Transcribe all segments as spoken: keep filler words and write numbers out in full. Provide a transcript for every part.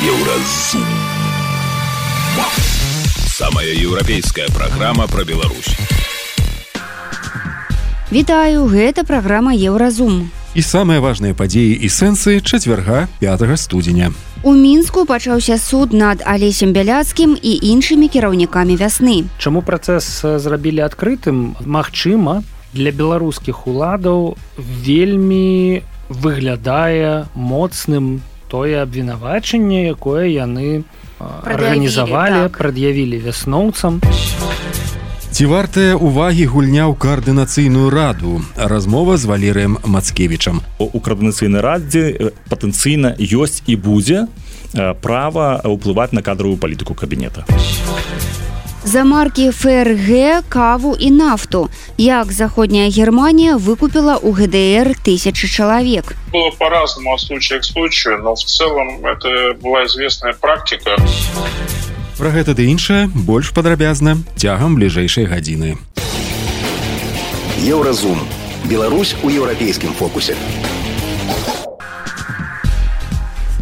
Еўразум. Самая еўрапейская праграма пра Беларусь. Вітаю, гэта праграма Еўразум. І самыя важныя падзеі і сэнсы чацвярга пятага студзеня. У Мінску пачаўся суд над Алесем Бяляцкім і іншымі кіраўнікамі вясны. Чаму працэс зрабілі адкрытым? Магчыма, для беларускіх уладаў вельмі выглядае моцным тое абвінавачанне, якое яны арганізавалі, прад'явілі вясноўцам. Ці вартая увагі гульня ў каардынацыйную раду? Размова з Валерыем Мацкевічам. У каардынацыйнай радзе патэнцыйна ёсць і будзе права ўплываць на кадравую палітыку кабінета. За маркі эф эр гэ, каву і нафту. Як заходняя Германія выкупила у гэ дэ эр тысячи человек. Было по-разному от случая к случаю, но в целом это была известная практика. Пра гэта ды іншае больш падрабязна цягам бліжэйшай гадзіны. Еўразум. Беларусь у еўрапейскім фокусе.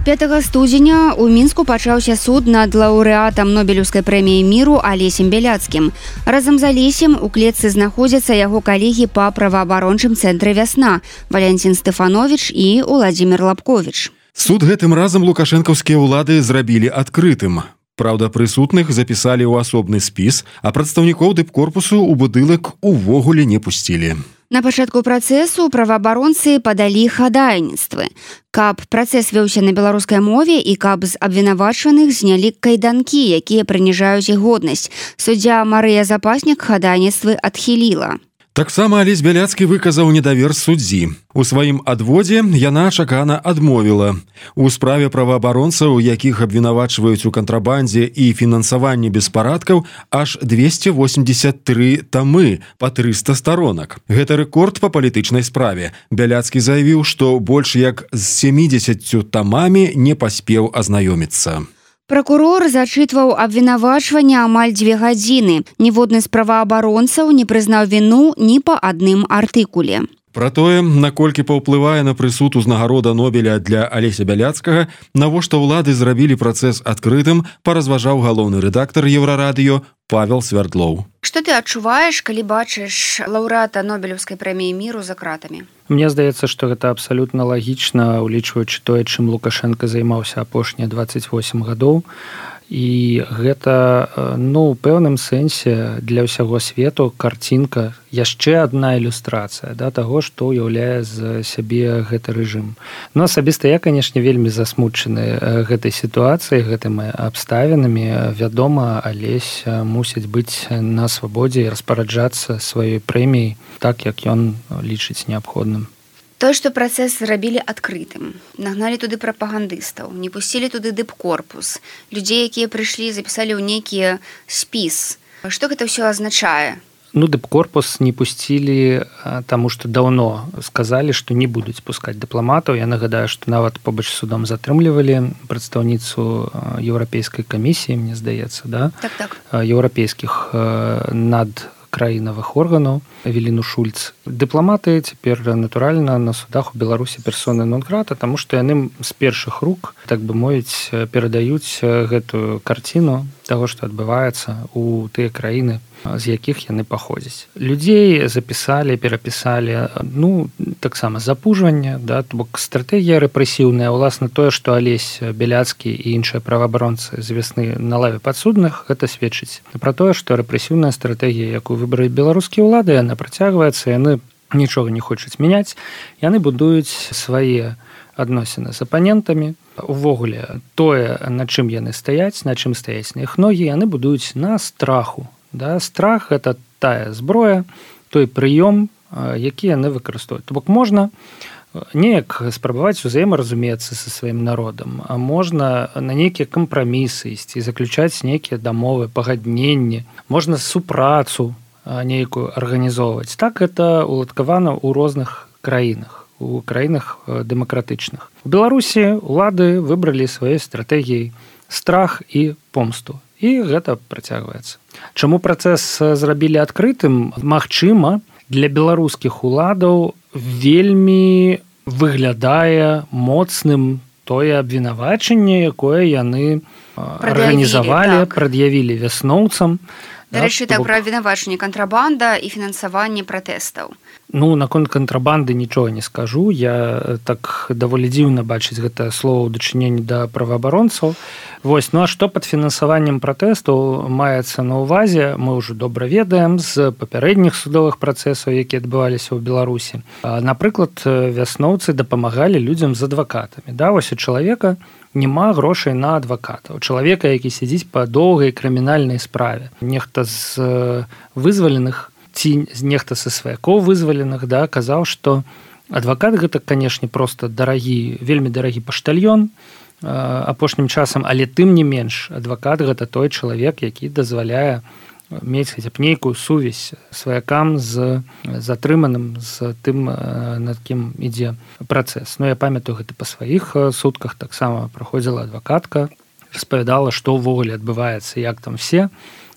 пятага студзеня у Мінску пачаўся суд над лаўрэатам Нобелеўскай прэміі міру Алесем Бяляцкім. Разам з Алесем у клетцы знаходзяцца яго калегі па праваабарончым цэнтры «Вясна» Валянцін Стэфановіч і Уладзімір Лапковіч. Суд гэтым разам лукашэнкаўскія ўлады зрабілі адкрытым. Праўда, прысутных запісалі ў асобны спіс, а прадстаўнікоў дыпкорпусу ў будынак увогуле не пусцілі. На пачатку працэсу праваабаронцы падалі хадайніцтвы. Каб працэс вёўся на беларускай мове і каб з абвінавачаных знялі кайданкі, якія прыніжаюць іх годнасць. Суддзя Марыя Запаснік хадайніцтвы адхіліла. Таксама Алесь Бяляцкі выказаў недавер суддзі. У сваім адводзе яна чакана адмовіла. У справе праваабаронцаў, якіх абвінавачваюць у кантрабандзе і фінансаванні беспарадкаў, аж двести восемьдесят три тамы па трыста старонак. Гэта рэкорд па палітычнай справе. Бяляцкі заявіў, што больш як з семидесятью тамамі не паспеў азнаёміцца. Пракурор зачытваў абвінавачванне амаль дзве гадзіны. Ніводны з праваабаронцаў не прызнаў віну ні па адным артыкуле. Пра тое, наколькі паўплывае на прысуд узнагарода Нобеля для Алеся Бяляцкага, навошта ўлады зрабілі працэс адкрытым, паразважаў галоўны рэдактар Еўрарадыё Павел Свярдлоў. Што ты адчуваеш, калі бачыш лаўрэата Нобелеўскай прэміі міру за кратамі? Мне здаецца, што гэта абсалютна лагічна, улічваючы тое, чым Лукашенко займаўся апошнія дваццаць восем гадоў. І гэта, ну, у пэўным сэнсе для ўсяго свету карцінка, яшчэ адна ілюстрацыя да, таго, што ўяўляе з сябе гэты рэжым. Ну, асабіста я, канешне, вельмі засмучаны гэтай сітуацыяй, гэтымі абставінамі. Вядома, Алесь мусіць быць на свабодзе і распараджацца сваёй прэміяй так, як ён лічыць неабходным. Тое, што працэс зрабілі адкрытым. Нагналі туды прапагандыстаў, не пусцілі туды дыпкорпус. Людзей, якія прыйшлі, запісалі ў нейкі спіс. Што гэта ўсё азначае? Ну, дыпкорпус не пусцілі, таму што даўно сказалі, што не будуць пускаць дыпламатаў. Я нагадаю, што нават побач з судом затрымлівалі прадстаўніцу еўрапейскай камісіі, мне здаецца, да? Так-так. Еўрапейскіх над краінавых органаў Эвеліну Шульц. Дыпламаты цяпер, натуральна, на судах у Беларусі персоны нон-грата, таму што яны з першых рук, так бы мовіць, перадаюць гэтую карціну таго, што адбываецца ў тыя краіны, з якіх яны паходзяць. Людзей запісалі, перапісалі, ну, таксама запужванне, да, бок стратэгія рэпрэсіўная, уласна тое, што Алесь Бяляцкі і іншыя праваабаронцы з вясны на лаве падсудных, гэта сведчыць пра тое, што рэпрэсіўная стратэгія, якую выбралі беларускія ўлады, яна працягваецца, яны нічога не хочуць мяняць, яны будуюць свае адносіны з апанентамі. Увогуле, тое, на чым яны стаяць, на чым стаяць на іх ногі, яны будуюць на страху. Да? Страх – гэта тая зброя, той прыём, які яны выкарыстоўваюць. То бок можна неяк спрабаваць узаемаразумецца са сваім народам, а можна на нейкія кампрамісы ісці, заключаць нейкія дамовы, пагадненні, можна супрацу нейкую арганізоўваць. Так гэта уладкавана ў розных краінах, у краінах дэмакратычных. У Беларусі ўлады выбралі сваёй стратэгіяй страх і помсту. І гэта працягваецца. Чаму працэс зрабілі адкрытым? Магчыма, для беларускіх уладаў вельмі выглядае моцным тое абвінавачанне, якое яны арганізавалі, так. прад'явілі вясноўцам. Дарэчы, так, пра абвінавачанне кантрабанда і фінансаванне пратэстаў. Ну, наконт кантрабанды нічога не скажу. Я так даволі дзіўна бачыць гэтае слово ў дачыненні да праваабаронцаў. Вось, ну а што пад фінансаваннем пратэстаў маецца на ўвазе, мы ўжо добра ведаем з папярэдніх судовых працэсаў, якія адбываліся ў Беларусі. Напрыклад, вясноўцы дапамагалі людзям з адвакатамі. Да, вось у чалавека няма грошай на адваката. У чалавека, які сядзіць па доўгай крымінальнай справе. Нехта з вызваленых ці нехта са сваякоў вызваленых, да, казаў, што адвакат гэта, канешне, проста дарагі, вельмі дарагі паштальён апошнім часам, але тым не менш адвакат гэта той чалавек, які дазваляе мець хаця б нейкую сувязь сваякам з затрыманым, з тым, над кім ідзе працэс. Ну, я памятаю гэта па сваіх сутках, таксама праходзіла адвакатка, распавядала, што ўвогуле адбываецца, як там все,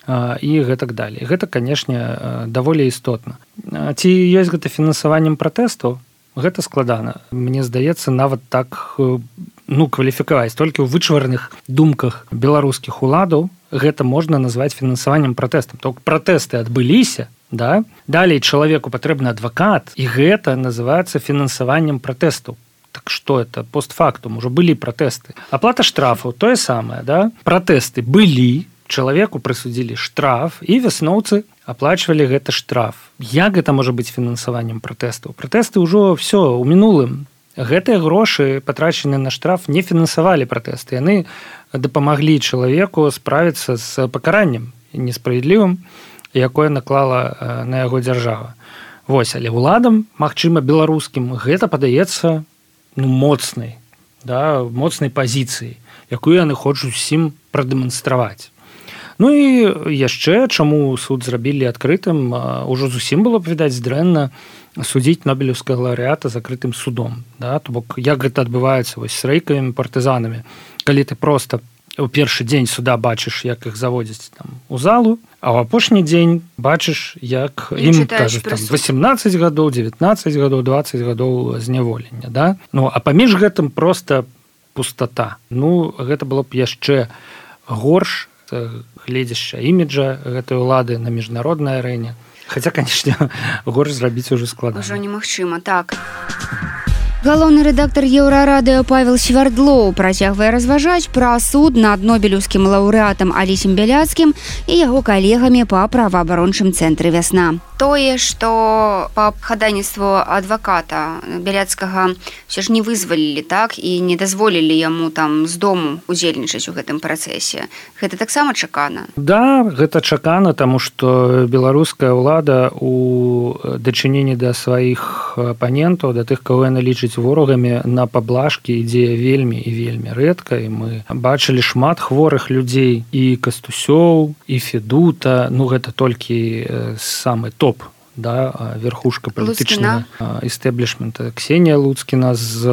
і гэтак далей. Гэта, канешне, даволі істотна. Ці ёсць гэта фінансаваннем пратэстаў? Гэта складана. Мне здаецца, нават так, ну, кваліфікаваць. Толькі ў вычварных думках беларускіх уладаў гэта можна назваць фінансаваннем пратэстам. Толькі пратэсты адбыліся, да? Далей чалавеку патрэбны адвакат, і гэта называецца фінансаваннем пратэстаў. Так што это? Постфактум. Ужо былі пратэсты. Аплата штрафаў, тое самае, да? Пратэсты былі, чалавеку прысудзілі штраф, і вясноўцы аплачвалі гэты штраф. Як гэта можа быць фінансаваннем пратэстаў? Пратэсты ўжо ўсё ў мінулым. Гэтыя грошы, патрачаныя на штраф, не фінансавалі пратэсты. Яны дапамаглі чалавеку справіцца з пакараннем несправядлівым, якое наклала на яго дзяржава. Вось, але ўладам, магчыма, беларускім, гэта падаецца, ну, моцнай, да, моцнай пазіцыяй, якую яны хочуць усім прадэманстраваць. Ну і яшчэ, чаму суд зрабілі адкрытым, ужо зусім было б, відаць, дрэнна судзіць нобелеўскага лаўрэата закрытым судом. Да? То бок, як гэта адбываецца вось, з рэйкавымі партызанамі, калі ты проста ў першы дзень суда бачыш, як іх заводзяць там, у залу, а ў апошні дзень бачыш, як і ім кажуць, там, восемнадцаць гадоў, дзевятнаццаць гадоў, дваццаць гадоў зняволення. Да? Ну, а паміж гэтым проста пустата. Ну, гэта было б яшчэ горш, гледзяшча іміджа гэтай улады на міжнароднай арэне. Хаця, канешне, горш зрабіць ужо складана. Ужо немагчыма, так. Галоўны рэдактар Еўрарадыё Павел Свярдлоў працягвае разважаць пра суд над нобелеўскім лаўрэатам Алесем Бяляцкім і яго калегамі па праваабарончым цэнтры «Вясна». Тое, што па хадайніцтву адваката Бяляцкага ўсё ж не вызвалілі, так, і не дазволілі яму там з дому удзельнічаць у гэтым працэсе. Гэта таксама чакана? Да, гэта чакана, таму што беларуская ўлада у дачыненні да сваіх апанентаў, да тых, каго яна лічыць ворагамі, на паблажкі ідзе вельмі і вельмі рэдка, і мы бачылі шмат хворых людзей, і Кастусёў, і Федута, ну гэта толькі самы топ, да, верхушка палітычнага эстэблішмента. Ксенія Луцкіна з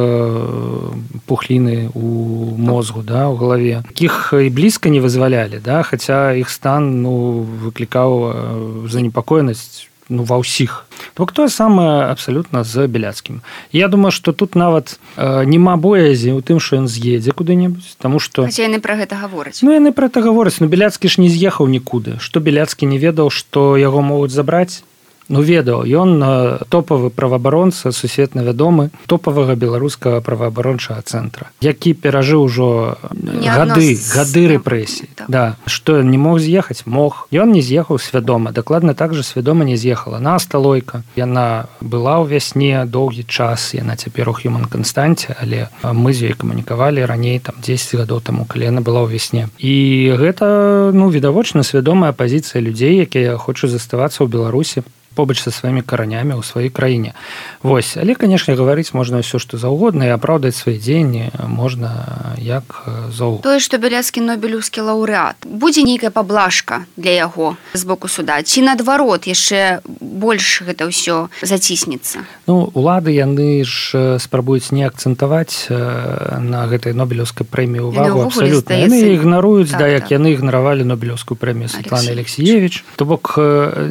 пухліны у мозгу, да, у галаве. Іх і блізка не вызвалялі, да, хаця іх стан, ну, выклікаў занепакоенасць, ну, ва ўсіх. Бок тое самае абсалютна з Бяляцкім. Я думаю, што тут нават э, няма боязі ў тым, што ён з'едзе куды-небудзь, таму што... Хаця яны пра гэта гавораць. Ну, яны пра гэта гавораць, но Бяляцкі ж не з'ехаў нікуды. Што Бяляцкі не ведаў, што яго могуць забраць? Ну, ведаў, ён топавы праваабаронца, сусветна вядомы, топавага беларускага праваабарончага цэнтра, які перажыў ужо гады, гады рэпрэсій. Так. Да. Што ён не мог з'ехаць? Мог. Ён не з'ехаў свядома. Дакладна так жа свядома не з'ехала. Наста Лойка. Яна была ў Вясне доўгі час, яна цяпер у Human Констанце, але мы з ёй камунікавалі раней, там, дзесяць гадоў таму, калі яна была ў Вясне. І гэта, ну, відавочна свядомая пазіцыя людзей, якія хочуць заставацца ў Беларусі побач са сваімі каранямі ў сваёй краіне. Вось, але, канешне, гаварыць можна ўсё, што заўгодна, і апраўдаць свае дзеянні можна як заўгодна. Тое, што Бяляцкі нобелеўскі лаўрэат, будзе нейкая паблажка для яго з боку суда, ці наадварот яшчэ больш гэта ўсё заціснецца? Ну, улады, яны ж спрабуюць не акцэнтаваць на гэтай нобелеўскай прэміі ўвагу абсалютна. Яны ігнаруюць, так, да, як так. Яны ігнаравалі нобелеўскую прэмію Светланы Алексіевіч. То бок,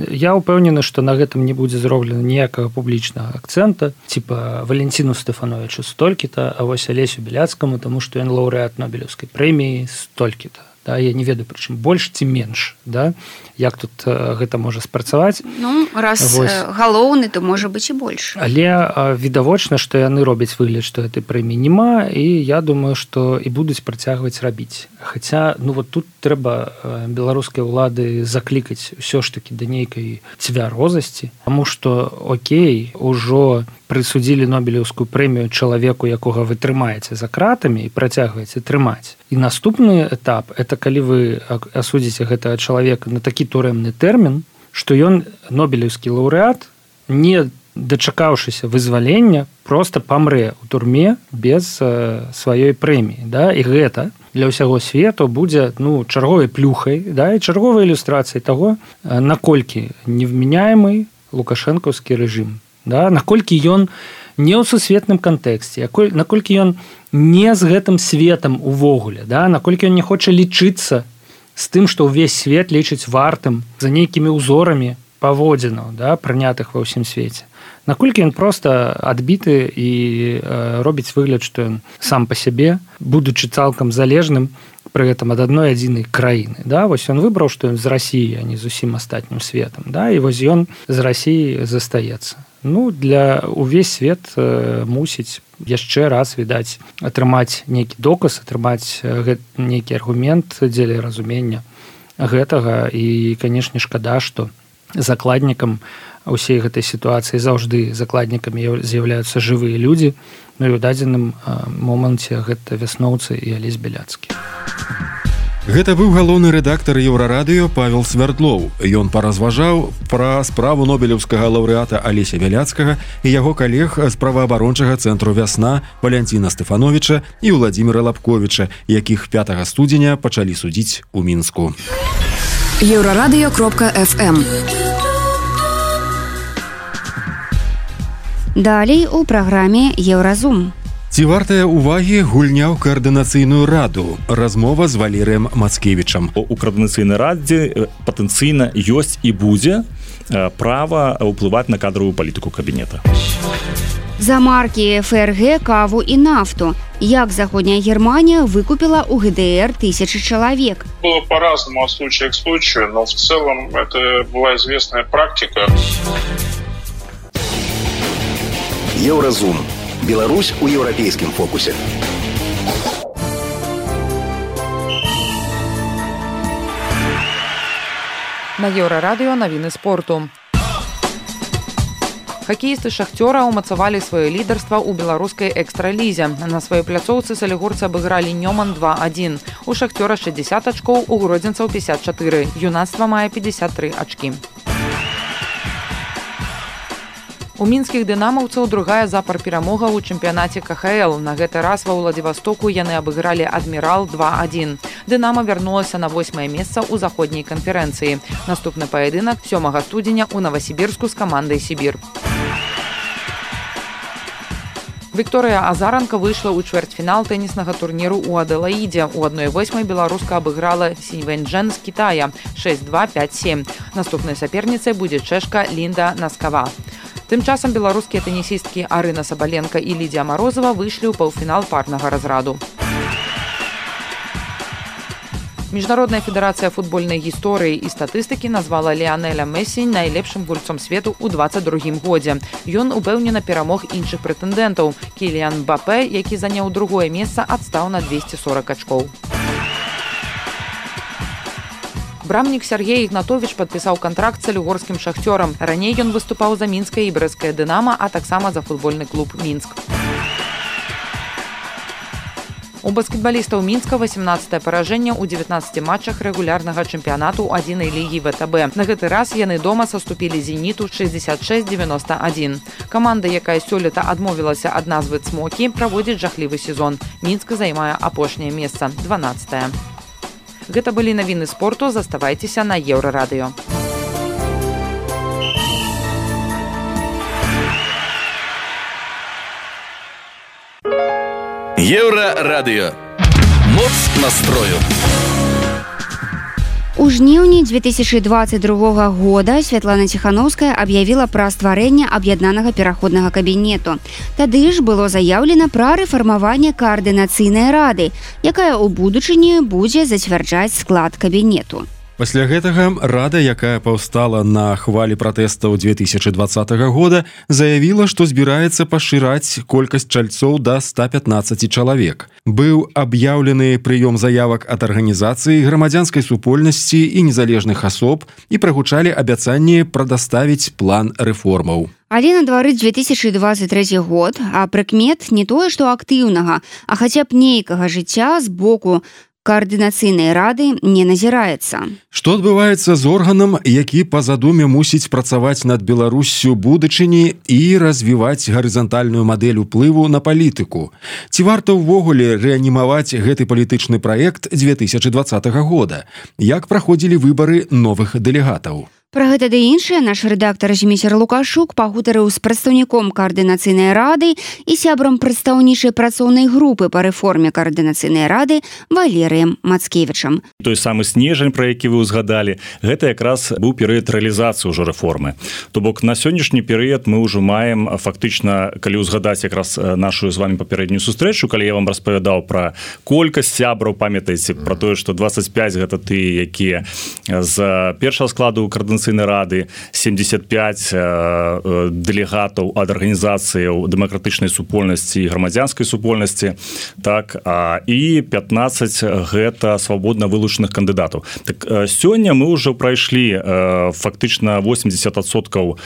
я ўпэўнены, што на гэтым не будзе зроблена ніякага публічнага акцэнта, типа Валентину Стефановичу столькі-то, а вось Алесю Беляцкаму, таму што ён лаўрэат Нобелеўскай прэміі столькі-то. Да, я не ведаю, прычым больш ці менш, да? Як тут э, гэта можа спрацаваць. Ну, раз вось. Галоўны, то можа быць і больш. Але э, відавочна, што яны робяць выгляд, што гэтай прэміі няма, і я думаю, што і будуць працягваць рабіць. Хаця, ну вот тут трэба э, беларускай улады заклікаць ўсё ж такі да нейкай цвярозасці, таму што, окей, ужо прысудзілі Нобелеўскую прэмію чалавеку, якога вы трымаеце за кратамі і працягваеце трымаць. І наступны этап, это калі вы асудзіце гэтага чалавека на такі турэмны тэрмін, што ён, нобелеўскі лаўрэат, не дачакаўшыся вызвалення, проста памрэ ў турме без э, сваёй прэміі. Да? І гэта для ўсяго свету будзе ну, чарговай плюхай, да? І чарговай ілюстрацыяй таго, наколькі невменяемы лукашэнкаўскі рэжым. Да? Наколькі ён не ў сусветным кантэксце, наколькі ён не з гэтым светам увогуле, да? Наколькі ён не хоча лічыцца з тым, што ўвесь свет лічыць вартым за нейкімі ўзорамі паводзінаў, да? Прынятых ва ўсім свеце. Наколькі ён проста адбіты і э, робіць выгляд, што ён сам па сябе, будучы цалкам залежным пры гэтым ад адной адзінай краіны. Да? Вось ён выбраў, што ён з Расіі, а не з усім астатнім светам. Да? І вось ён з Расіі застаецца. Ну, для увесь свет э, мусіць яшчэ раз, відаць, атрымаць нейкі доказ, атрымаць гэт, нейкі аргумент дзеля разумення гэтага. І, канешне, шкада, што закладнікам усей гэтай сітуацыі заўжды закладнікамі з'яўляюцца жывыя людзі. Ну і ў дадзеным э, моманце гэта вясноўцы і Алесь Беляцкі. Гэта быў галоўны рэдактар Еўрарадыё Павел Свердлоў. Ён паразважаў пра справу нобелеўскага лаўрэата Алеся Беляцкага і яго калег з праваабарончага цэнтру «Вясна» Валянціна Стефановича і Владзіміра Лапковіча, якіх пятага студзеня пачалі судзіць у Мінску. еўрарадыё кропка эф эм. Далей у праграме «Еўразум». Ці вартая ўвагі гульня ў каардынацыйную раду? Размова з Валерыем Мацкевічам. У каардынацыйнай радзе патэнцыйна ёсць і будзе права ўплываць на кадровую палітыку кабінета. За маркі эф эр гэ, каву і нафту. Як Заходняя Германия выкупила у гэ дэ эр тысячи человек? Было по-разному от случая к случаю, но в целом это была известная практика. Еўразум. Беларусь у еўрапейскім фокусе. На Еўрарадыё навіны спорту. Хакеісты «Шахцёра» умацавалі сваё лідарства ў беларускай экстралізе. На сваёй пляцоўцы салігорцы абыгралі Нёман два адзін. У «Шахцёра» шэсцьдзесят ачкоў, у гродзенцаў пятьдесят чатыры. Юнацтва мае пятьдесят тры ачкі. У мінскіх дынамаўцаў другая запар перамога ў чэмпіянаце ка ха эл. На гэты раз ва Ўладзівастоку яны абыгралі «Адмірал» два адзін. «Дынама» вярнулася на восьмае месца ў заходняй канферэнцыі. Наступны паядынак сёмага студзеня ў Новасібірску з камандай «Сібір». Вікторыя Азаранка выйшла ў чвэрцьфінал тэніснага турніру ў Адэлаідзе. У адной восьмай беларуска абыграла Сіньвэньчжэн з Кітая шэсць два пяць сем. Наступнай саперніцай будзе чэшка Лінда Наскава. Тым часам беларускія тэнісісткі Арына Сабаленка і Лідзія Марозава выйшлі ў паўфінал парнага разраду. Міжнародная федэрацыя футбольнай гісторыі і статыстыкі назвала Ліанеля Месі найлепшым гульцом свету ў дваццаць другім годзе. Ён упэўнена перамог іншых прэтэндэнтаў. Кіліан Мбапэ, які заняў другое месца, адстаў на двесце сорак ачкоў. Брамнік Сергей Ігнатовіч падпісаў кантракт з салігорскім «Шахцёрам». Раней ён выступаў за мінскае і брэсцкае «Дынама», а таксама за футбольны клуб «Мінск». У баскетбалістаў Мінска васемнаццатае паражэнне ў дзевятнаццаці матчах рэгулярнага чэмпіянату адзінай лігі вэ тэ бэ. На гэты раз яны дома саступілі «Зеніту» шэсцьдзесят шэсць дзевяноста адзін. Каманда, якая сёлета адмовілася ад назвы «Цмокі», праводзіць жахлівы сезон. Мінск займае апошняе месца, дванаццатае. Гэта былі навіны спорту, заставайцеся на Еўрарадыё. Еўрарадыё. Моц настрою. У жніўні две тысячи двадцать другога года Святлана Ціхановская аб'явіла пра стварэнне аб'яднанага пераходнага кабінету. Тады ж было заяўлена пра рэфармаванне каардынацыйнай рады, якая ў будучыні будзе зацвярджаць склад кабінету. Пасля гэтага рада, якая паўстала на хвалі пратэстаў две тысячи двадцатого года, заявіла, што збіраецца пашыраць колькасць чальцоў да ста пятнаццаці чалавек. Быў аб'яўлены прыём заявак ад арганізацыі, грамадзянскай супольнасці і незалежных асоб і прагучалі абяцанні прадаставіць план рэформаў. Але на двары две тысячи двадцать третий год, а прыкмет не тое, што актыўнага, а хаця б нейкага жыцця з боку каардынацыйнай рады не назіраецца. Што адбываецца з органам, які па задуме мусіць працаваць над Беларуссю будучыні і развіваць гарызантальную мадэль уплыву на палітыку? Ці варта ўвогуле рэанімаваць гэты палітычны праект две тысячи двадцатого года? Як праходзілі выбары новых дэлегатаў? Пра гэта ды іншае наш рэдактар Зміцер Лукашук пагутарыў з прадстаўніком каардынацыйнай рады і сябрам прадстаўнічай працоўнай групы па рэформе каардынацыйнай рады Валерыем Мацкевічам. Той самы снежань, пра які вы ўзгадалі, гэта якраз быў перыяд рэалізацыі ўжо рэформы. То бок на сённяшні перыяд мы ўжо маем фактычна, калі ўзгадаць якраз нашу з вами папярэднюю сустрэчу, калі я вам распавядаў пра колькасць сябраў, памятаеце пра тое, што двадцать пять гэта тыя, якія з першага складу каардынацыйнай рады, семьдесят пять дэлегатаў ад арганізацыяў дэмакратычнай супольнасці і грамадзянскай супольнасці, так, а, і пятнадцать гэта свабодна вылучаных кандыдатаў. Так, сёння мы ўжо прайшлі фактычна восемьдесят адсоткаў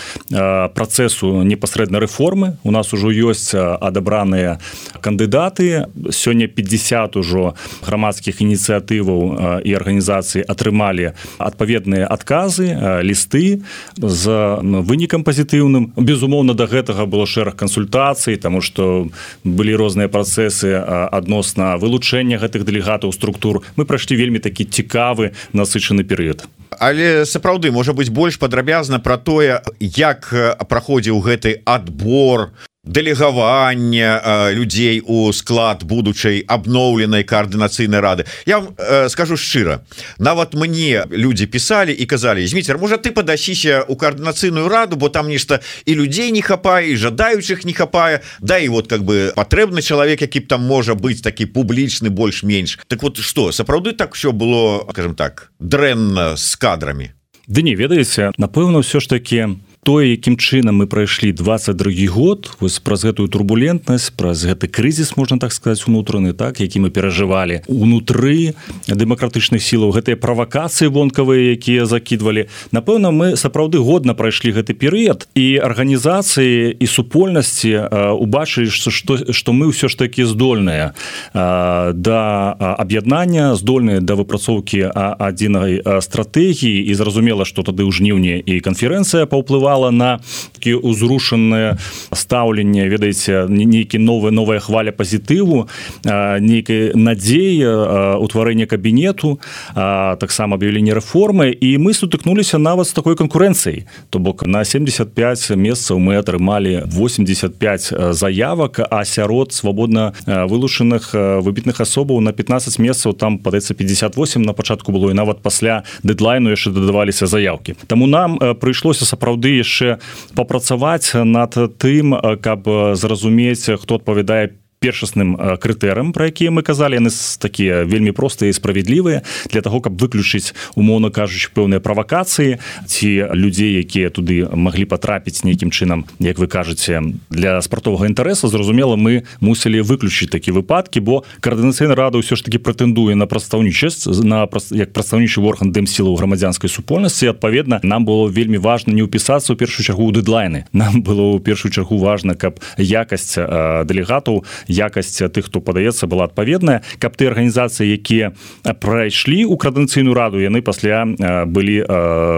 працэсу непасрэдна рэформы. У нас ужо ёсць адабраныя кандыдаты. Сёння пятьдесят ужо грамадскіх ініцыятываў і арганізацый атрымалі адпаведныя адказы, лісты з вынікам пазітыўным. Безумоўна, да гэтага было шэраг кансультацый, таму што былі розныя працэсы адносна вылучэння гэтых дэлегатаў структур. Мы прайшлі вельмі такі цікавы, насычаны перыяд. Але сапраўды, можа быць, больш падрабязна пра тое, як праходзіў гэты адбор, дэлегаванне э, людзей у склад будучай абноўленай каардынацыйнай рады. Я вам э, скажу шчыра, нават мне людзі пісалі і казалі: Зміцер, можа ты падасіся у каардынацыйную раду, бо там нешта і людзей не хапае, і жадаючых не хапае, да і вот как бы патрэбны чалавек, які б там можа быць такі публічны больш-менш. Так вот што, сапраўды так усё было, скажем так, дрэнна з кадрамі? Ды не ведаеце, напэўна, ўсё ж такі тое, якім чынам мы прайшлі двадцать другі год, вось праз гэтую турбулентнасць, праз гэты крызіс, можна так сказаць, унутраны, так, які мы перажывалі унутры дэмакратычных сілаў, гэтыя правакацыі вонкавыя, якія закідвалі. Напэўна, мы сапраўды годна прайшлі гэты перыяд, і арганізацыі і супольнасці убачылі, што, што мы ўсё ж такі здольныя да аб'яднання, здольныя да выпрацоўкі адзінай стратэгіі, і зразумела, што тады ў жніўні і канферэнцыя паўплывала на такі узрушанае стаўленне, ведаеце, нейкі новая новая хваля пазітыву, нейкай надзеі, утварэння кабінету, таксама аб'яўленне рэформы, і мы сутыкнуліся нават з такой канкурэнцыяй. То бок на семьдесят пять месцаў мы атрымалі восемьдесят пять заявак, а сярод свабодна вылучаных выбітных асобаў на пятнадцать месцаў там, падаецца, пятьдесят восемь на пачатку было, і нават пасля дэдлайну яшчэ дадаваліся заявкі. Таму нам прыйшлося сапраўды яшчэ папрацаваць над тым, каб зразумець, хто адпавядае першасным крытэрам, пра якія мы казалі. Яны такія вельмі простыя і справядлівыя для таго, каб выключыць, умоўна кажучы, пэўныя правакацыі ці людзей, якія туды маглі патрапіць нейкім чынам, як вы кажаце, для спартовага інтарэсу. Зразумела, мы мусілі выключыць такі выпадкі, бо каардынацыйная рада ўсё ж такі прэтэндуе на прадстаўнічасць, на як прадстаўнічы орган дэмсілаў грамадзянскай супольнасці. Адпаведна, нам было вельмі важна не ўпісацца ў першую чаргу ў дэдлайны. Нам было ў першую чаргу важна, каб якасць дэлегатаў, якасць тых, хто падаецца, была адпаведная, каб ты арганізацыі, якія прайшлі ў каардынацыйную раду, яны пасля былі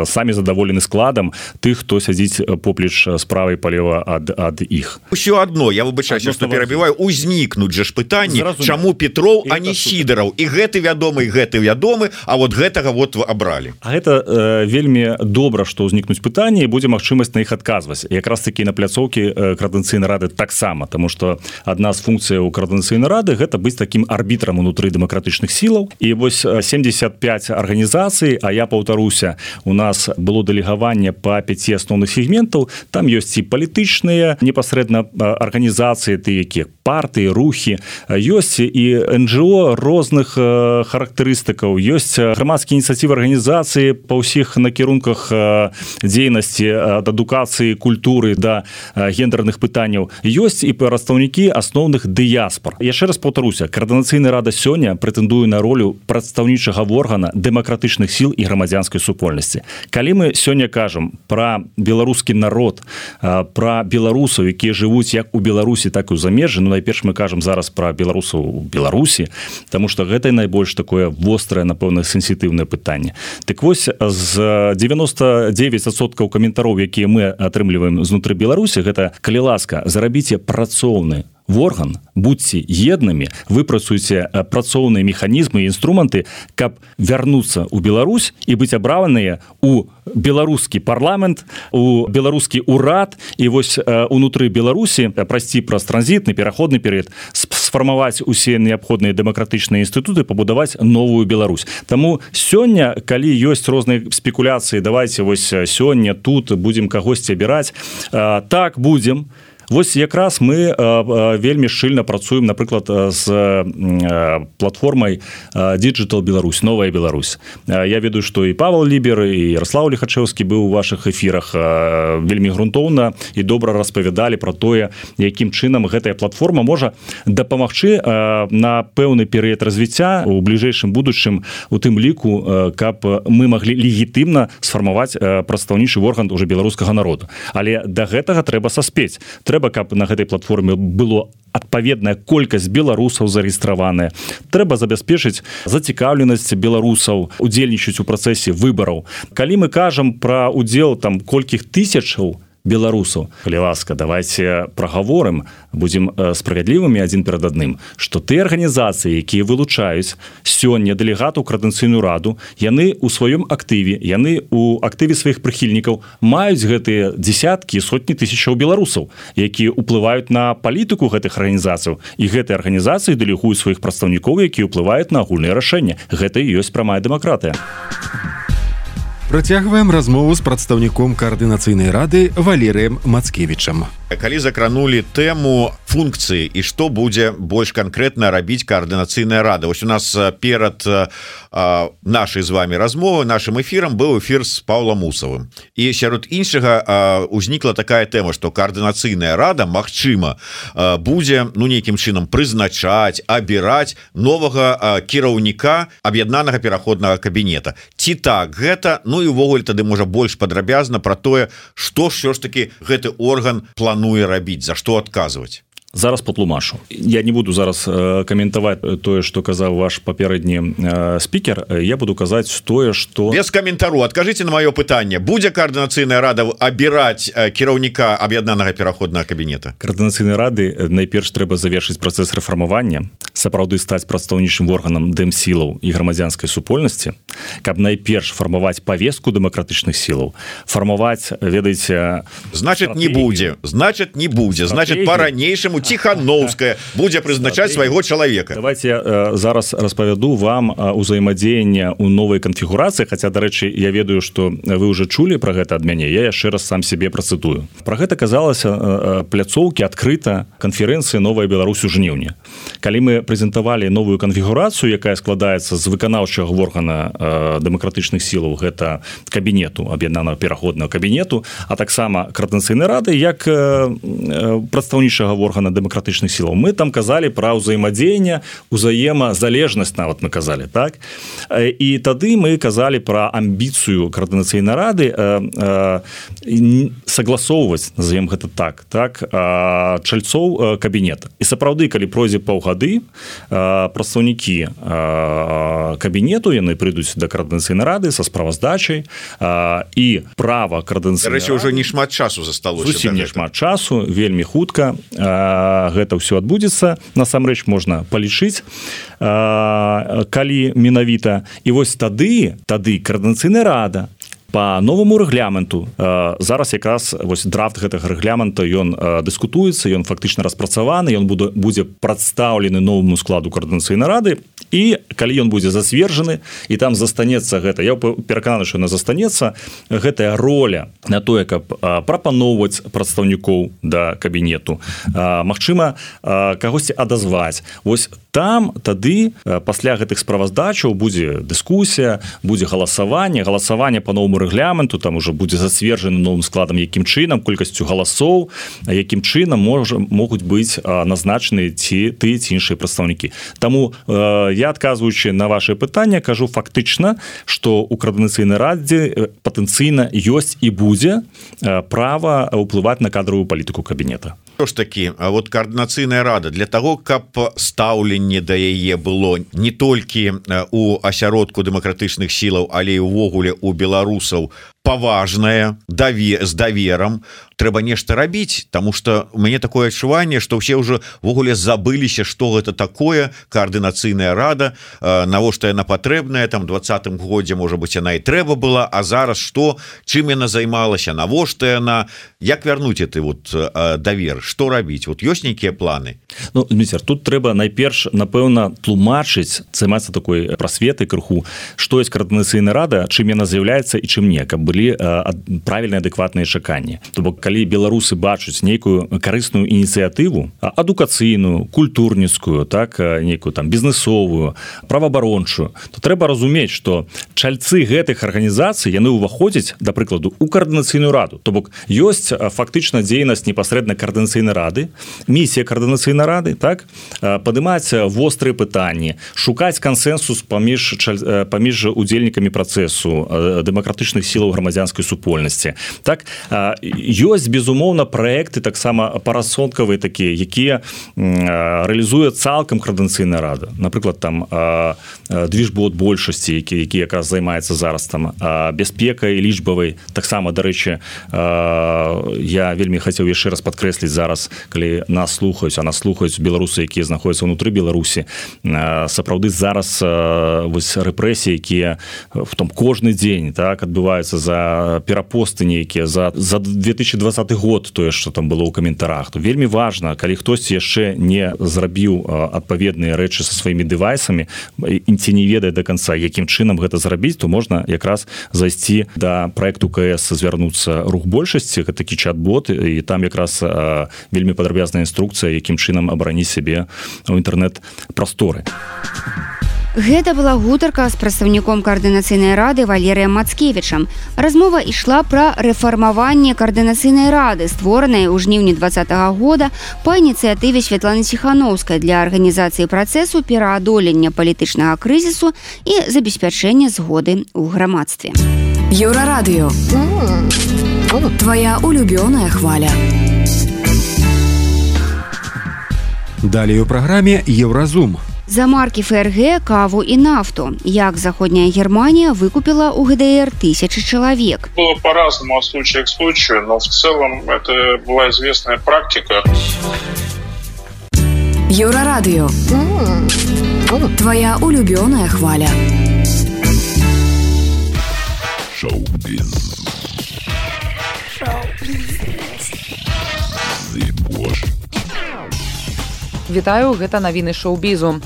самі задаволены складам тых, хто сядзіць поплеч справа і палева ад, ад іх. Усё адно, я выбачаюся, што перабіваю, узнікнуць жа ж пытанні, чаму Петров, а не Сідараў, і гэты вядомы, і гэты вядомы, а вот гэтага вот абралі. А гэта э, вельмі добра, што ўзнікнуць пытанні, і будзе магчымасць на іх адказваць. Якраз такі на пляцоўкі каардынацыйнай рады таксама, таму што адна з функцый функцыя ў координацыйнай рады гэта быць таким арбітрам унутры дэмакратычных сілаў. І вось семьдесят пять арганізацый, а я паўтаруся, у нас было дэлегаванне па пяці асноўных сегментаў, там ёсць і палітычныя непасрэдна арганізацыі, ты якія партыі, рухі, ёсць і эн джи о розных характарыстыкаў, ёсць грамадскія ініцыятывы арганізацыі па ўсіх накірунках дзейнасці ад адукацыі, культуры да гендерных пытанняў, ёсць і прадстаўнікі асноўных дыяспор. Яшчэ раз паўтаруся, координацыйная рада сёння прэтэндуе на ролю прадстаўнічага органа дэмакратычных сіл і грамадзянскай супольнасці. Калі мы сёння кажам пра беларускі народ, пра беларусаў, якія жывуць як у Беларусі, так і ў замежжы, ну найперш мы кажам зараз пра беларусаў у Беларусі, таму што гэта найбольш такое вострае, напэўна, сенсітыўнае пытанне. Так вось, з девяносто девять адсоткаў каментароў, якія мы атрымліваем знутры Беларусі, гэта, калі ласка, зарабіце працоўны орган, будьце еднымі, выпрацуйце працоўныя механізмы і інструменты, каб вярнуцца ў Беларусь і быць абраныя у беларускі парламент, у беларускі урад, і вось унутры Беларусі прайсці праз транзітны пераходны перыяд, сфармаваць усе неабходныя дэмакратычныя інстытуты, пабудаваць новую Беларусь. Таму сёння, калі ёсць розныя спекуляцыі, давайте вось сёння тут будзем кагосьці абіраць, так будзем. Вось якраз мы вельмі шчыльна працуем, напрыклад, з платформай Digital Беларусь, Новая Беларусь. Я ведаю, што і Павел Лібер, і Ярослав Лихачэўскі быў у вашых эфірах, вельмі грунтоўна і добра распавядалі пра тое, якім чынам гэтая платформа можа дапамагчы на пэўны перыяд развіцця у бліжэйшым будучым, у тым ліку, каб мы маглі легітымна сфармаваць прадстаўнічы орган уже беларускага народу. Але да гэтага трэба саспець. Трэба, каб на гэтай платформе было адпаведная колькасць беларусаў зарэгістраваная. Трэба забяспечыць зацікаўленасць беларусаў удзельнічаць у працэсе выбараў. Калі мы кажам пра удзел там колькіх тысячаў беларусаў, калі ласка, давайте прагаворым, будзем справядлівымі адзін перад адным, што тыя арганізацыі, якія вылучаюць сёння дэлегату ў координацыйную раду, яны ў сваём актыве, яны ў актыве сваіх прыхільнікаў маюць гэтыя дзесяткі, сотні тысячаў беларусаў, якія ўплываюць на палітыку гэтых арганізацыяў, і гэтыя арганізацыі дэлегуюць сваіх прадстаўнікоў, якія ўплываюць на агульныя рашэнні. Гэта і ёсць прамая дэмакратыя. Працягваем размову з прадстаўніком координацыйнай рады Валерыем Мацкевічам. Калі закранули тэму функцыі і што будзе больш канкрэтна рабіць координацыйная рада. Вось у нас перад а, нашай з вами размовы, нашим эфірам быў эфір з Паўлам Мусавым. І сярод іншага а, узнікла такая тэма, што координацыйная рада, магчыма, а, будзе ну нейкім чынам прызначаць, абіраць новага а, кіраўніка аб'яднанага пераходнага кабінета. Ці так гэта, ну і ўвогуле тады можа больш падрабязна пра тое, што ж ж таки гэты орган плануе рабіць, за што адказваць. Зараз патлумашу. Я не буду зараз э, каментаваць тое, што казаў ваш папередні э, спікер. Я буду казаць тое, што... Без каментару. Адкажыце на маё пытанне. Будзе координацыйная рада абіраць э, кіраўніка аб'яднанага пераходнага кабінета? Координацыйнай рады найперш трэба завершыць працэс рэфармавання, сапраўды стаць прадстаўнічым органам дэмсілаў і грамадзянскай супольнасці, каб найперш фармаваць павестку дэмакратычных сілаў, фармаваць, ведаеце... Значыць, не будзе. Значыць, не будзе. Значыць, па-ранейшаму Тихановская будзе прызначаць свайго чалавека. Давайте э, зараз распавяду вам узаемадзеянне ў новай канфігурацыі, хаця, дарэчы, я ведаю, што вы ўжо чулі пра гэта ад мяне, я яшчэ раз сам себе працытую. Пра гэта казалася э, пляцоўкі адкрыта канферэнцыі «Новая Беларусь» у жніўні. Калі мы прэзентавалі новую канфігурацыю, якая складаецца з выканаўчага органа э, дэмакратычных сілаў, гэта кабінету, аб'яднанага пераходнага кабінету, а таксама координацыйнай рады, як э, прадстаўнічага органа дэмакратычных сілаў. Мы там казалі пра ўзаемадзеянне, узаемазалежнасць нават мы казалі, так? І тады мы казалі пра амбіцыю координацыйнай рады э, э, согласоўваць, назовем гэта так, так, э, чальцоў кабінета. І сапраўды, калі пройдзе паўгады, э, прадстаўнікі э, кабінету, яны прыйдуць да координацыйнай рады са справаздачай, э, і права координацыйнай рады... Рэчы, ўжо не шмат часу засталося. Зусім не шмат часу, вельмі хутка. Гэта ўсё адбудзецца, насамрэч можна палічыць, калі менавіта. І вось тады тады координацыйная рада По новому рэгламенту зараз якраз вось драфт гэтага рэгламента ён дыскутуецца, ён фактычна распрацаваны, ён будзе будзе прадстаўлены новому складу коордынацыйнай рады, і калі ён будзе засвержаны і там застанецца гэта, я перакананы, што яна застанецца, гэтая роля на тое, каб прапаноўваць прадстаўнікоў да кабінету, магчыма кагосьці адазваць. Вось там тады пасля гэтых справаздачаў будзе дыскусія, будзе галасаванне, галасаванне по новому рэгламенту, там уже будзе засвержаны новым складам, якім чынам, колькасцю галасоў, якім чынам можа могуць быць назначаны ці ты ці іншыя прадстаўнікі. Таму э, я, адказваючы на ваше пытанне, кажу фактычна, што у коордынацыйнай радзе патэнцыйна ёсць і будзе права ўплываць на кадровую палітыку кабінета. Што ж такі, вот коордынацыйная рада для того, каб стаўленне да яе было не толькі у асяродку дэмакратычных сілаў, але і ўвогуле у беларусаў паважнае, даве, з даверам, трэба нешта рабіць, тому что у мяне такое адчуванне, што ўсе ўжо ввогуле забыліся, што гэта такое коордынацыйная рада, навошта яна патрэбная, там двадцатым годзе, можа быць, яна і трэба была, а зараз што, чым яна займалася, навошта яна, як вярнуць гэты вот давер, што рабіць, вот ёсць нейкія планы? Ну, Дміцер, тут трэба найперш, напэўна, тлумачыць, займацца такой прасветай крыху, што ёсць коордынацыйная рада, чым яна з'яўляецца і чым не, каб былі правільныя адэкватныя чаканні. То бок калі беларусы бачаць нейкую карысную ініцыятыву, адукацыйную, культурніцкую, так, нейкую там бізнесовую, праваабарончую, то трэба разумець, што чальцы гэтых арганізацый яны ўваходзяць, да прыкладу, у коордынацыйную раду. То бок ёсць фактычна дзейнасць непасрэдна коордынацыйнай рады, місія коордынацыйнай рады, так, падымаць вострыя пытанні, шукаць кансенсус паміж паміж удзельнікамі працэсу дэмакратычных сілаў грамадзянскай супольнасці. Так, ёсць, безумоўна, праекты таксама парасонкавыя такія, якія рэалізуе цалкам коордынацыйная рада. Напрыклад, там движбот большасці, які, які якраз займаецца зараз там бяспекай лічбавай. Таксама, дарэчы, я вельмі хацеў яшчэ раз падкрэсліць зараз, калі нас слухаюць, а нас слухаюць беларусы, якія знаходзяцца ўнутры Беларусі. Сапраўды зараз вось рэпрэсіі, якія в том кожны дзень, так, адбываюцца за перапосты нейкія, за, за две тысячи двадцаты год, тое, што там было ў каментарах, то вельмі важна, калі хтосьці яшчэ не зрабіў адпаведныя рэчы са сваімі дэвайсамі і ці не ведае да канца, якім чынам гэта зрабіць, то можна якраз зайсці да праекту КС, звярнуцца рух большасці, гэта такі чат-бот, і там якраз вельмі падрабязная інструкцыя, якім чынам абараніць сябе ў інтэрнэт-прасторы. Гэта была гутарка з прадстаўніком коордынацыйнай рады Валерыем Мацкевічам. Размова ішла пра рэфармаванне коордынацыйнай рады, створанай у жніўні двадцатага года па ініцыятыве Святланы Ціханаўскай для арганізацыі працэсу пераадолення палітычнага крызісу і забеспячэння згоды ў грамадстве. Еўрарадыё. Твая улюбёная хваля. Далей у праграме Еўразум. За маркі ФРГ, каву і нафту. Як Заходняя Германия выкупила у ГДР тысячи человек. Было по-разному от случая к случаю, но в целом это была известная практика. Еўрарадыё. Твоя улюбёная хваля. Шоу-біз. Вітаю, гэта навіны шоу-бізу.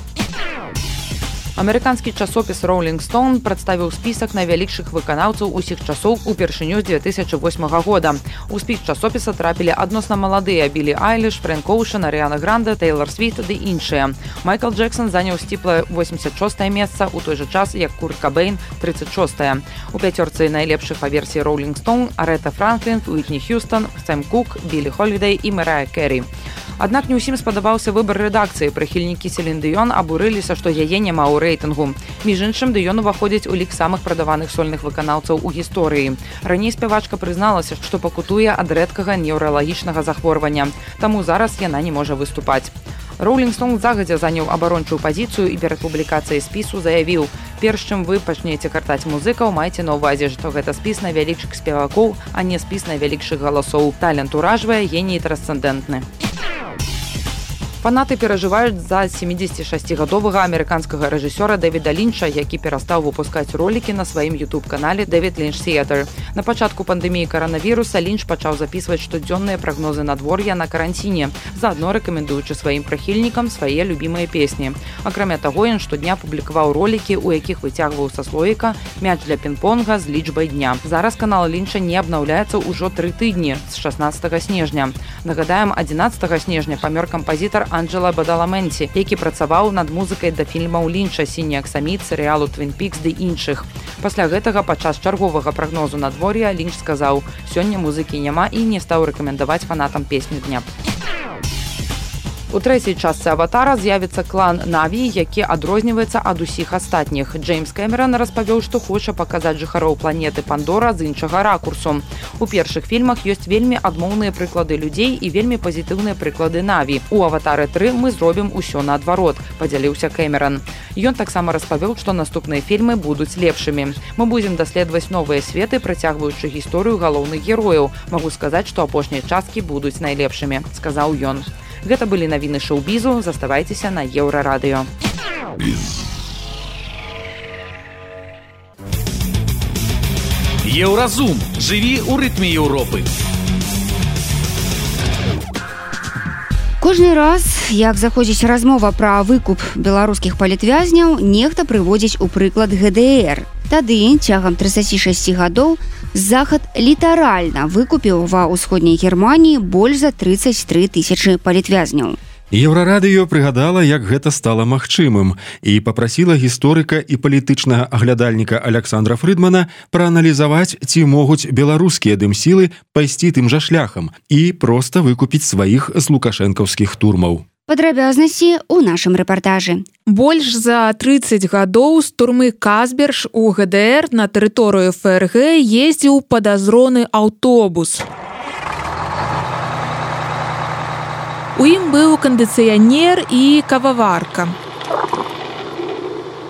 Амерыканскі часопіс Rolling Stone прадставіў спісак найвялікшых выканаўцаў усіх часоў упершыню з две тысячи восьмага года. У спіс часопіса трапілі адносна маладыя Білі Айліш, Фрэнк Оушен, Арыяна Гранде, Тэйлор Свіфт ды іншыя. Майкл Джексон заняў сціплае восемьдесят шостае месца, у той жа час, як Курт Кабейн тридцать шостае. У пяцёрцы найлепшых па версіі Rolling Stone Арэта Франклін, Уітні Х'юстон, Сэм Кук, Білі Холідэй і Мэрая Кэрі. Аднак не ўсім спадабаўся выбар рэдакцыі. Прыхільнікі Селін Дыён абурыліся, што яе няма ў рэйтынгу. Між іншым, Дыён уваходзіць у лік самых прадаваных сольных выканаўцаў у гісторыі. Раней спявачка прызналася, што пакутуе ад рэдкага неўралагічнага захворвання. Таму зараз яна не можа выступаць. Rolling Stone загадзя заняў абарончую пазіцыю і перад публікацыяй спісу заявіў: перш чым вы пачнеце картаць музыкаў, майце на ўвазе, што гэта спіс найвялікшых спевакоў, а не спіс найвялікшых галасоў. Талент уражвае, геній трансцэндэнтны. Фанаты перажываюць за семидесятишестигадовага амерыканскага рэжысёра Дэвіда Лінча, які перастаў выпускаць ролікі на сваім YouTube-канале Дэвід Лінч Theater. На пачатку пандэміі каранавіруса Лінч пачаў записываць штодзённыя прагнозы надвор'я на каранціне, заадно рэкамендуючы сваім прыхільнікам свае любімыя песні. Акрамя таго, ён штодня публікаваў ролікі, у якіх выцягваў са слоіка мяч для пінг-понга з лічбай дня. Зараз канал Лінча не абнаўляецца ўжо тры тыдні з шаснаццатага снежня. Нагадаем, адзінаццатага снежня памёр кампазітар Анджела Бадаламенці, які працаваў над музыкай да фільмаў Лінча «Сіні аксаміт», серыялу «Твін Пікс» ды іншых. Пасля гэтага падчас чарговага прагнозу надвор'я Лінч сказаў: «Сёння музыкі няма» і не стаў рэкамендаваць фанатам песню дня. У трэцяй частцы «Аватара» з'явіцца клан Наві, які адрозніваецца ад усіх астатніх. Джеймс Кэмерон распавёў, што хоча паказаць жыхароў планеты Пандора з іншага ракурсу. У першых фільмах ёсць вельмі адмоўныя прыклады людзей і вельмі пазітыўныя прыклады Наві. У «Аватары тры» мы зробім усё наадварот, падзяліўся Кэмерон. Ён таксама распавёў, што наступныя фільмы будуць лепшымі. Мы будзем даследаваць новыя светы, працягваючы гісторыю галоўных герояў. Магу сказаць, што апошнія часткі будуць найлепшымі, сказаў ён. Гэта былі навіны шоу-бізу. Заставайцеся на Еўрарадыё. Еўразум. Жыві ў рытме Еўропы. Кожны раз, як заходзіць размова пра выкуп беларускіх палітвязняў, нехта прыводзіць у прыклад гэ дэ эр. Тады, цягам трыццаці шасці гадоў, Захад літаральна выкупіў ва ўсходняй Германіі больш за трыццаць тры тысячы палітвязняў. Еўрарадыё прыгадала, як гэта стала магчымым, і папрасіла гісторыка і палітычнага аглядальніка Александра Фрыдмана прааналізаваць, ці могуць беларускія дымсілы пайсці тым жа шляхам і проста выкупіць сваіх з лукашэнкаўскіх турмаў. Падрабязнасці ў нашым рэпартажы. Больш за трыццаць гадоў з турмы Казберж у гэ дэ эр на тэрыторыю эф эр гэ ездзіў падазроны аўтобус. У ім быў кандыцыянер і кававарка.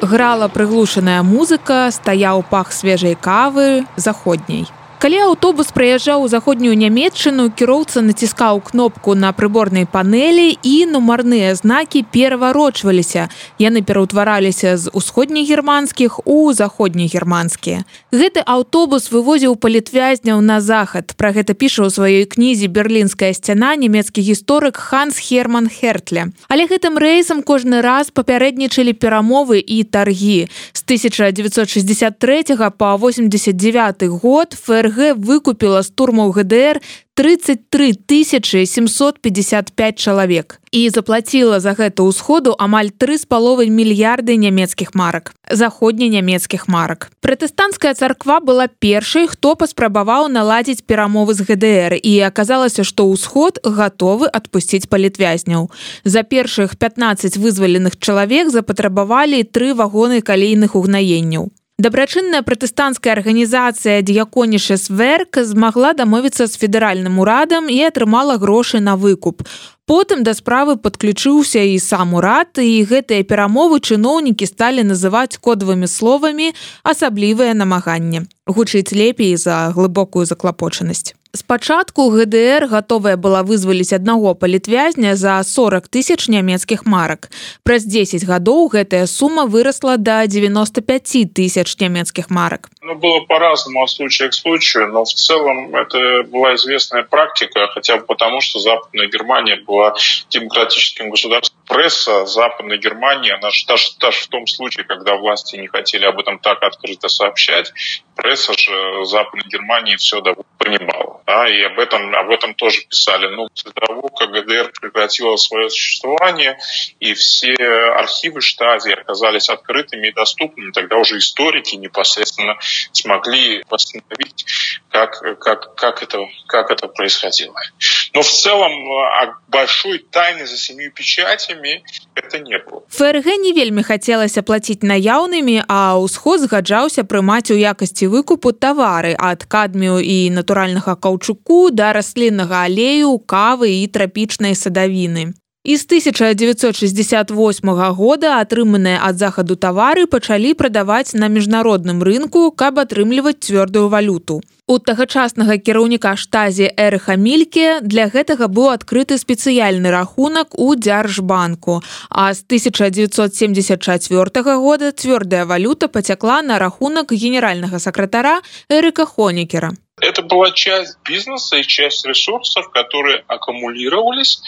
Грала прыглушаная музыка, стаяў пах свежай кавы заходняй. Калі аўтобус праязджаў у заходнюю Нямецчыну, кіроўца націскаў кнопку на прыборнай панэлі і нумарныя знакі пераварочваліся. Яны пераўтвараліся з усходнегерманскіх у заходнегерманскія. Гэты аўтобус вывозіў палітвязняў на захад. Пра гэта піша ў сваёй кнізе «Берлінская сцяна» нямецкі гісторык Ханс Герман Хертле. Але гэтым рэйсам кожны раз папярэднічалі перамовы і таргі. З тысяча дзевяцьсот шэсцьдзесят трэцяга па восемьдесят девяты год эф эр гэ выкупіла з турмаў гэ дэ эр трыццаць тры тысячы семьсот пятьдесят пять чалавек і заплаціла за гэта ўсходу амаль тры з паловай мільярды нямецкіх марак, заходненямецкіх марак. Пратэстанцкая царква была першай, хто паспрабаваў наладзіць перамовы з гэ дэ эр, і аказалася, што ўсход гатовы адпусціць палітвязняў. За першых пятнаццаць вызваленых чалавек запатрабавалі тры вагоны калейных угнаенняў. Дабрачынная пратэстанцкая арганізацыя «Д'яконішес Верк» змагла дамовіцца з федэральным урадам і атрымала грошы на выкуп. Потым да справы падключыўся і сам урад, і гэтыя перамовы чыноўнікі сталі называць кодавымі словамі «асаблівае намаганне». Гучыць лепей за глыбокую заклапочанасць. Спачатку гэ дэ эр гатовая была вызваліць аднаго палітвязня за сорок тысяч нямецкіх марак. Праз дзесяць гадоў гэтая сума вырасла до девяносто пять тысяч нямецких марок. Ну, было по-разному от случая к случаю, но в целом это была известная практика, хотя бы потому, что Западная Германия была демократическим государством. Пресса Западной Германии, она же даже, даже в том случае, когда власти не хотели об этом так открыто сообщать, пресса же Западной Германии все понимала. Да, и об этом, об этом тоже писали. Но после того, как гэ дэ эр прекратила свое существование, и все архивы Штази оказались открытыми и доступными, тогда уже историки непосредственно смогли восстановить, как, как, как, это, как это происходило. Но в целом большой тайны за семью печатями это не было. эф эр гэ не вельмі хацелася плаціць наяўнымі, а ўсход згаджаўся прымаць у якасці выкупу тавары ад кадмію і натуральнага каўчуку да расліннага алею, кавы і трапічнай садавіны. І з тысяча дзевяцьсот шестьдесят восьмага года атрыманыя ад захаду тавары пачалі прадаваць на міжнародным рынку, каб атрымліваць цвёрдую валюту. У тагачаснага кіраўніка штазі Эрыха Мільке для гэтага быў адкрыты спецыяльны рахунак у Дзяржбанку, а з тысяча дзевяцьсот семьдесят чацвёртага года цвёрдая валюта пацякла на рахунак генеральнага сакратара Эрыка Хонекера. Это была часть бизнеса и часть ресурсов, которые аккумулировались,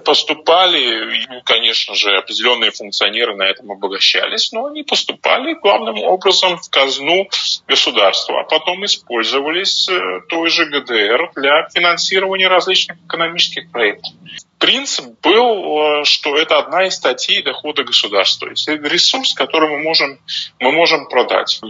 поступали, и, конечно же, определенные функционеры на этом обогащались, но они поступали главным образом в казну государства, а потом использовались той же ГДР для финансирования различных экономических проектов. Принцип был, что это одна из статей дохода государства. Это ресурс, который мы можем, мы можем продать.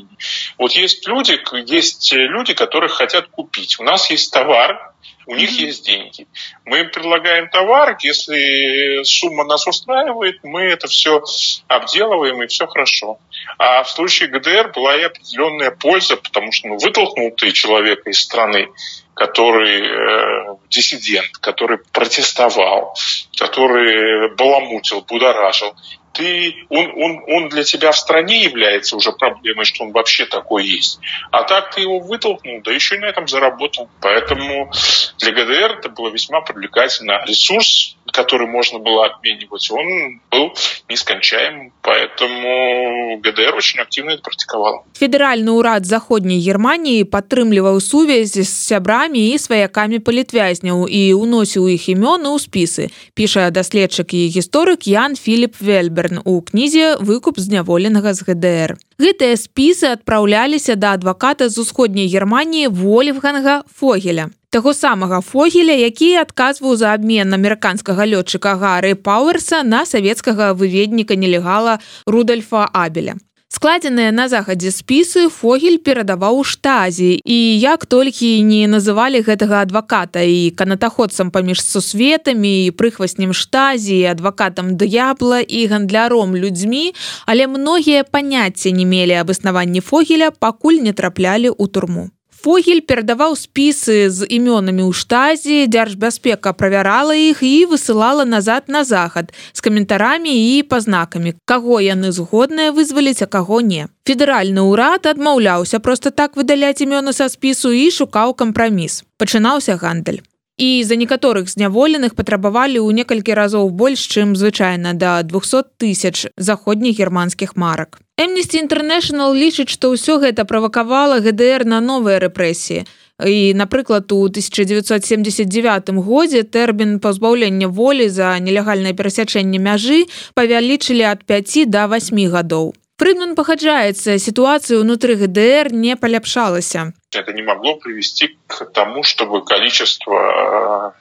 Вот есть люди, есть люди, которые хотят купить. У нас есть товар, у них mm-hmm. есть деньги. Мы им предлагаем товар, если сумма нас устраивает, мы это все обделываем, и все хорошо. А в случае ГДР была и определенная польза, потому что ну, вытолкнул ты человека из страны, который э, диссидент, который протестовал, который баламутил, будоражил. Ты, он, он, он для тебя в стране является уже проблемой, что он вообще такой есть. А так ты его вытолкнул, да еще и на этом заработал. Поэтому для ГДР это было весьма привлекательно. Ресурс, который можно было обменивать, он был нескончаемым. Поэтому ГДР очень активно это практиковал. Федеральны ўрад заходняй Германіі падтрымліваў сувязь з сябрамі і сваякамі палітвязняў і ўносіў іх імёны ў спісы, піша даследчык і гісторык Ян Філіп Вельберн у кнізе «Выкуп зняволенага з ГДР». Гэтыя спісы адпраўляліся да адваката з усходняй Германіі Вольфганга Фогеля. Таго самага Фогеля, які адказваў за абмен амерыканскага лётчыка Гары Пауэрса на савецкага выведніка нелегала Рудольфа Абеля. Складзеныя на захадзе спісы Фогель перадаваў штазі, і як толькі не называлі гэтага адваката і канатаходцам паміж сусветамі, і прыхваснем штазі, і адвакатам д'ябла, і гандляром людзьмі, але многія паняцця не мелі аб існаванні Фогеля, пакуль не траплялі ў турму. Фогель перадаваў спісы з імёнамі ў штазі, дзяржбяспека правярала іх і высылала назад на захад з каментарамі і пазнакамі, каго яны згодныя вызваліць, а каго не. Федэральны ўрад адмаўляўся проста так выдаляць імёны са спісу і шукаў кампраміс. Пачынаўся гандаль. І за некаторых зняволеных патрабавалі ў некалькі разоў больш, чым звычайна, да двухсот тысяч заходніх германскіх марак. Amnesty International лічыць, што ўсё гэта правакавала ГДР на новыя рэпрэсіі. І, напрыклад, у тысяча дзевяцьсот семьдесят девятым годзе тэрмін пазбаўлення волі за нелегальнае перасячэнне мяжы павялічылі ад пяці да васьмі гадоў. Фридман пагаджаецца, ситуация внутри ГДР не поляпшалася. Это не могло привести к тому, чтобы количество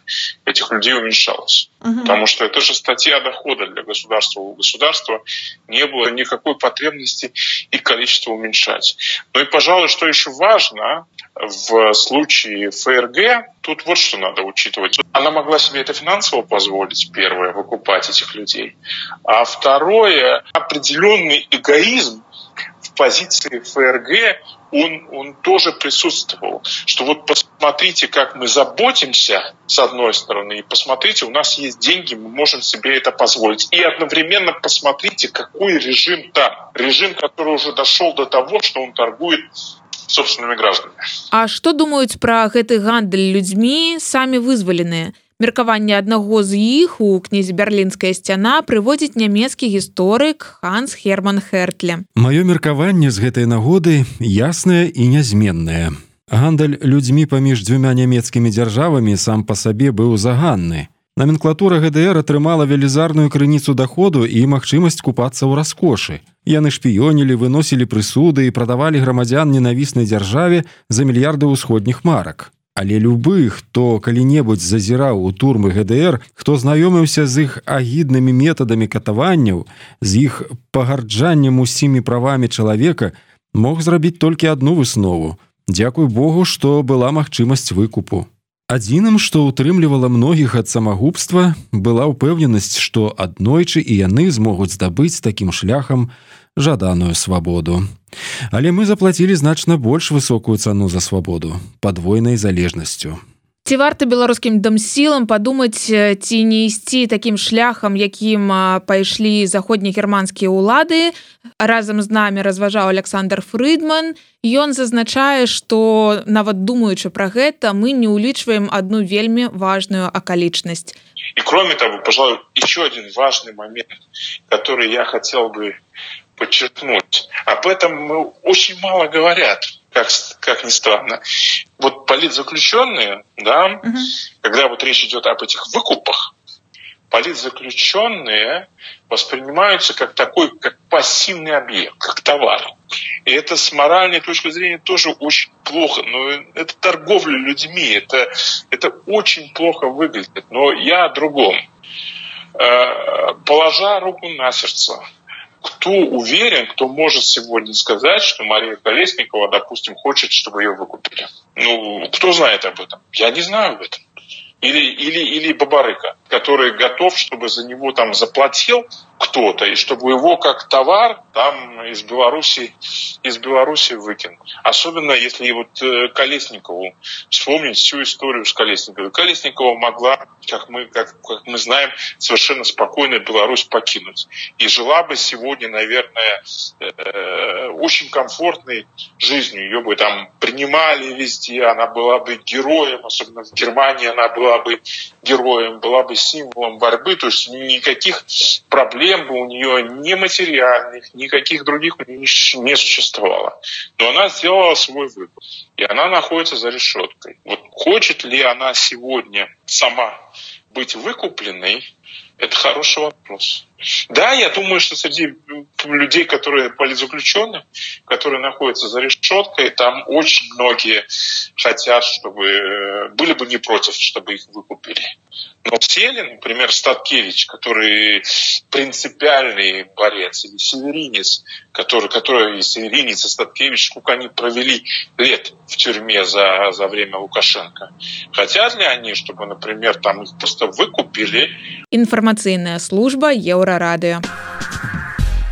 этих людей уменьшалось. Uh-huh. Потому что это же статья дохода для государства. У государства не было никакой потребности их количество уменьшать. Ну и, пожалуй, что еще важно, в случае ФРГ тут вот что надо учитывать. Она могла себе это финансово позволить, первое, выкупать этих людей. А второе, определенный эгоизм в позиции ФРГ, он, он тоже присутствовал. Что вот посмотрите, как мы заботимся, с одной стороны, и посмотрите, у нас есть деньги, мы можем себе это позволить. И одновременно посмотрите, какой режим там. Режим, который уже дошел до того, что он торгует собственными гражданами. А што думаюць пра гэты гандаль людзьмі самі вызваленыя? Меркаванне аднаго з іх у кнізе «Берлінская сцяна» прыводзіць нямецкі гісторык Ханс Герман Хертле. Маё меркаванне з гэтай нагоды яснае і нязменнае. Гандаль людзьмі паміж дзвюма нямецкімі дзяржавамі сам па сабе быў заганны. Наменклатура ГДР атрымала велізарную крыніцу даходу і магчымасць купацца ў раскошы. Яны шпіёнілі, выносілі прысуды і прадавалі грамадзян ненавіснай дзяржаве за мільярды ўсходніх марак. Але любы, хто калі-небудзь зазіраў у турмы ГДР, хто знаёміўся з іх агіднымі метадамі катаванняў, з іх пагарджаннем усімі правамі чалавека, мог зрабіць толькі адну выснову. Дзякуй Богу, што была магчымасць выкупу. Адзіным, што ўтрымлівала многіх ад самагубства, была ўпэўненасць, што аднойчы і яны змогуць здабыць такім шляхам жаданую свабоду. Але мы заплацілі значна больш высокую цану за свабоду, падвойнай залежнасцю. Ці варта беларускім дамсілам падумаць, ці не ісці такім шляхам, якім пайшлі заходнегерманскія ўлады? Разам з намі разважаў Александр Фрыдман. Ён зазначае, што нават думаючы пра гэта, мы не ўлічваем одну вельмі важную акалічнасць. И кроме того, пожалуй, еще один важный момент, который я хотел бы подчеркнуть. Об этом мы очень мало говорят, как, как ни странно. Вот политзаключенные, да, угу. когда вот речь идет об этих выкупах, политзаключенные воспринимаются как такой, как пассивный объект, как товар. И это с моральной точки зрения тоже очень плохо. Но это торговля людьми, это, это очень плохо выглядит. Но я о другом. Положа руку на сердце, кто уверен, кто может сегодня сказать, что Мария Колесникова, допустим, хочет, чтобы ее выкупили? Ну, кто знает об этом? Я не знаю об этом. Или, или, или Бабарыка, который готов, чтобы за него там заплатил кто-то, и чтобы его как товар там из Беларуси, из Беларуси выкинул. Особенно если вот Колесникову вспомнить всю историю с Колесниковой. Колесникова могла, как мы, как, как мы знаем, совершенно спокойно Беларусь покинуть. И жила бы сегодня, наверное, э, очень комфортной жизнью. Ее бы там принимали везде, она была бы героем, особенно в Германии она была бы героем, была бы символом борьбы. То есть никаких проблем бы у нее ни материальных, никаких других не существовало. Но она сделала свой выбор. И она находится за решеткой. Вот хочет ли она сегодня сама быть выкупленной, это хороший вопрос. Да, я думаю, что среди людей, которые политзаключенные, которые находятся за решеткой, там очень многие хотят, чтобы были бы не против, чтобы их выкупили. Но все ли, например, Статкевич, который принципиальный борец, или Северинец, который, который Северинец и Статкевич, сколько они провели лет в тюрьме за, за время Лукашенко. Хотят ли они, чтобы, например, там их просто выкупили? Информационная служба Еўрарадыё.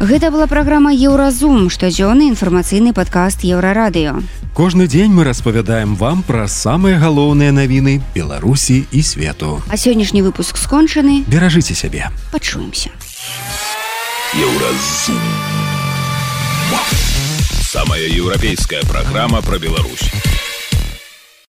Гэта была праграма Еўразум, штодзённы інфармацыйны падкаст Еўрарадыё. Кожны дзень мы распавядаем вам пра самыя галоўныя навіны Беларусі і свету. А сённяшні выпуск скончаны. Беражыце сябе. Пачуемся. Еўразум. Самая еўрапейская праграма пра Беларусь.